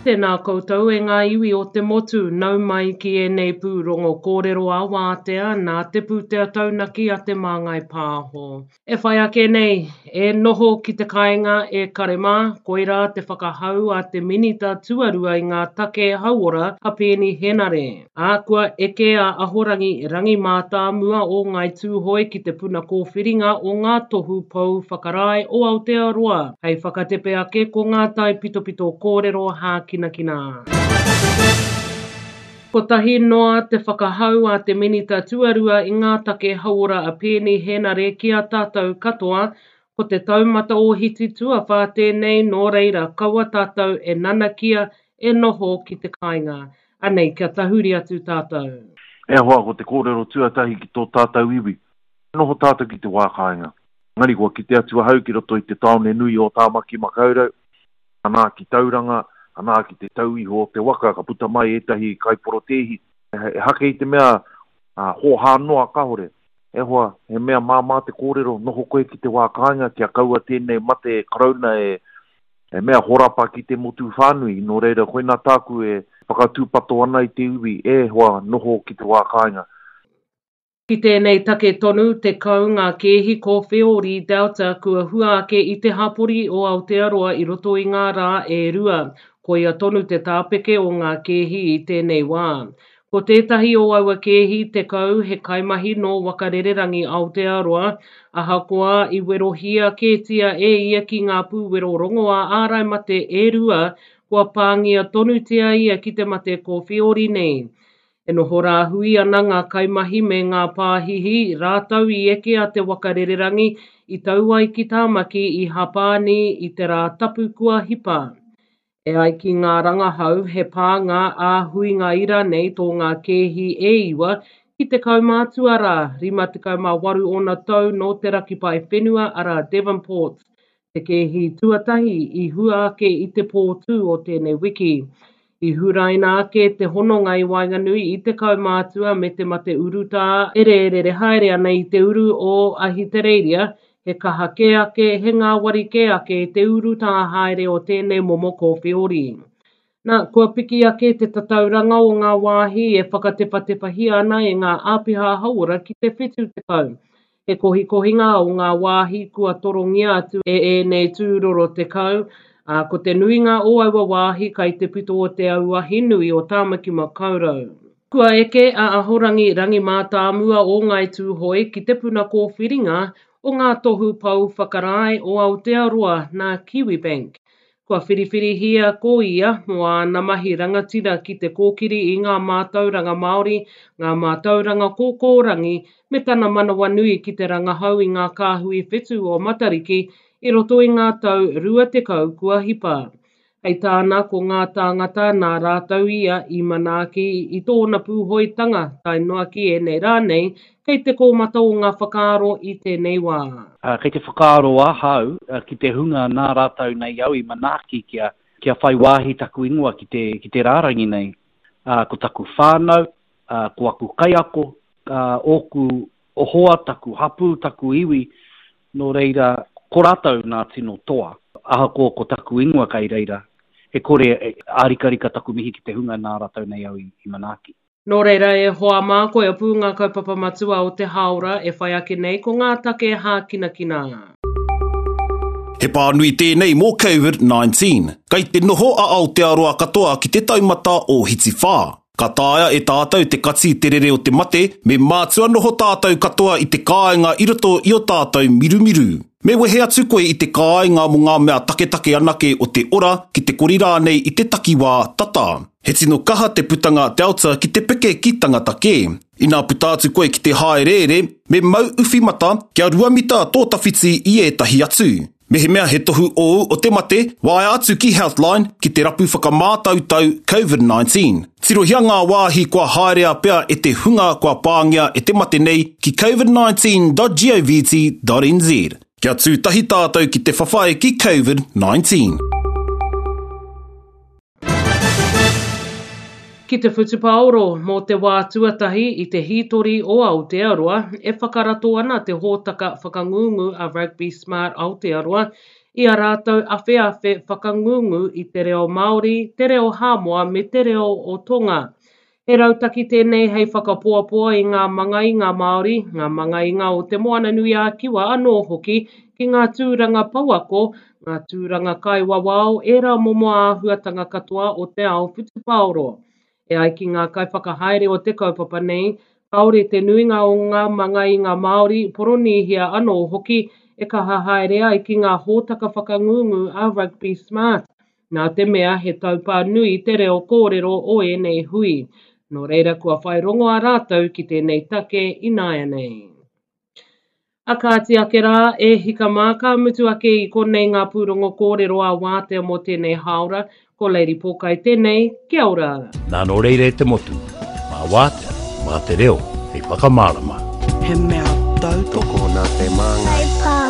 Tēnā koutou e ngā iwi o te motu, nau mai ki ēnei pūrongo kōrero ā-wātea nā te pūtea taunaki a Te Māngai Pāho. E whai ake nei, e noho ki te kāinga e kare mā, koirā te whakahau a te Minita Tuarua i ngā take hauora a Peeni Henare. Ā, kua eke a Ahorangi Rangi Mātāmua o Ngāi Tūhoe ki te puna kōwhiringa o ngā tohu pou whakarae o Aotearoa hei whakatepe ake ko ngā taipitopito kōrero hākinakina. Kotahi noa te whakahau a te Minita Tuarua i ngā take hauora a Peeni Henare ki a tātou katoa, ko te taumata ōhiti tuawhā tēnei nō reira kaua tātou e nanakia e noho ki te kāinga. Anei, kia tahuri atu tātou. E hoa, ko te kōrero tuatahi ki tō tātou iwi, noho tātou ki te wā kāinga. Engari kua kite atu ahau ki roto i te tāone nui o Tāmaki Makaurau, anā ki Tauranga, anā ki te tau iho o te waka ka puta mai ētahi kaiporotēhi. Ehake i te mea hōhā noa kāore. E hoa, he mea māmā te kōrero, noho koe ki te wā kāinga kia kaua tēnei mate karauna e He mea horapa ki te motu whānui, nō reira koinā tāku e whakatūpato ana i te iwi, e hoa, noho ki te wā kāinga. Ki tēnei take tonu, 10 ngā kēhi kōwheori Delta kua hua ake i te hapori o Aotearoa i roto i ngā rā e rua. Koia tonu te tāpeke o ngā kēhi i tēnei wā. Ko tētahi o aua kēhi 10 he kaimahi nō Waka Rererangi Aotearoa, ahakoa i werohia kētia e ia ki ngā pūwero rongoā ārai mate e rua, kua pāngia tonutia ia ki te mate kōwheori nei. E noho rāhui ana ngā kaimahi me ngā pāhihi, rātou i eke a te waka rererangi i tau ai ki Tāmaki i Hapāni i te Rā Tapu kua hipa. E ai ki ngā rangahau, he pānga ā-huinga ira nei tō ngā kēhi e iwa ki te kaumātua rā, 58 ōna tau nō Te Raki Paewhenua arā Devonport, te kēhi tuatahi i hua ake i te pō tū o tēnei wiki. I huraina ake te hononga i waenganui i te kaumātua me te mate urutā e rērere haere ana i te uru o Ahitereiria, He kaha kē ake, he ngāwari kē ake te urutā haere o tēnei momo kōwheori. Nā, kua piki ake te tatauranga o ngā wāhi e whakatewhatewhahia ana e ngā āpiha hauora ki te 70. He kohikohinga o ngā wāhi kua torongia atu e ēnei tūroro 10, ā, ko te nuinga o aua wāhi kai te pito o te auahi nui o Tāmaki Makaurau. Kua eke a Ahorangi Rangi Mātāmua o Ngāi Tūhoe ki te puna kōwhiringa o ngā tohu pou whakarae o Aotearoa nā Kiwibank. Kua whiriwhirihia ko ia mō āna mahi rangatira ki te kōkiri i ngā mātauranga Māori, ngā mātauranga kōkōrangi me tana manawanui ki te rangahau i ngā kāhui whetū o Matariki i roto i ngā tau 20 kua hipa. Hei tāna, ko ngā tāngata nā rātou ia i manaaki i tōna pūhoitanga tae noa ki ēnei rā nei, kei te kōmata o ngā whakaaro i tēnei wā. Kei te whakaaro ahau ki te hunga nā rātou nei au i manaaki kia, kia whai wāhi taku ingoa ki te, ki te rārangi nei. Ko taku whānau, ko aku kaiako, ōku hoa, taku hapū, taku iwi, Nō reira, ko rātou nā tino toa. Ahakoa ko taku ingoa kei reira, e kore e ārikarika taku mihi ki te hunga nā rātou nei au i manaaki. Nō reira, e hoa mā, koia pū ngā kaupapa matua o te hāora e whai ake nei ko ngā take hākinakina. He pānui tēnei mō Covid-19. Kei te noho a Aotearoa katoa ki te taumata ōhiti whā. Ka taea e tātou te kati te rere o te mate, me mātua noho tātou katoa i te kāinga i roto i o tātou mirumiru. Me wehe atu koe i te kāinga mō ngā mea taketake anake o te ora, ki te kori rānei i te takiwā tata. He tino kaha te putanga Delta ki te peke ki tangata kē. Inā puta atu koe ki te hāereere, me mau uwhi mata kia ruamita tō tawhiti i ētahi atu. Mehemea he tohu ōu o te mate, waea atu ki Healthline ki te rapu whakamātautau Covid-19. Tirohia ngā wāhi kua haerea pea e te hunga kua pāngia e te mate nei ki covid19.govt.nz. Kia tū tahi tātou ki te whawhai ki Covid-19. Ki te whutupaoro, mō te wā tuatahi i te hītori o Aotearoa, e whakarato ana te hōtaka whakangungu a Rugby Smart Aotearoa i a rātou awheawhe whakangungu i te reo Māori, te reo Hāmoa me te reo o Tonga. He rautaki tēnei hei whakapoapoa i ngā mangainga Māori, ngā mangainga o Te Moananui-a-Kiwa anō hoki ki ngā tūranga pouako, ngā tūranga kaiwawao, ērā momo āhuatanga katoa o te ao whutupaoro. E ai ki ngā kaiwhakahaere o te kaupapa nei, kāore te nuinga o ngā mangainga Māori, Poronīhia anō hoki, e kaha haere ai ki ngā hōtaka whakangungu a Rugby Smart, nā te mea he taupā nui te reo kōrero o ēnei hui. Nō reira kua whai rongoā rātou ki tēnei take ināianei. A kāti ake rā, e hika mā, ka mutu ake i konei ngā pūrongo kōrero a Wātea mō tēnei hāora. Ko Lady Pōkai tēnei, kia ora! Nā nō reira e te motu, mā Wātea, mā te reo hei whakamārama. He mea tautoko. Tokona te māngai.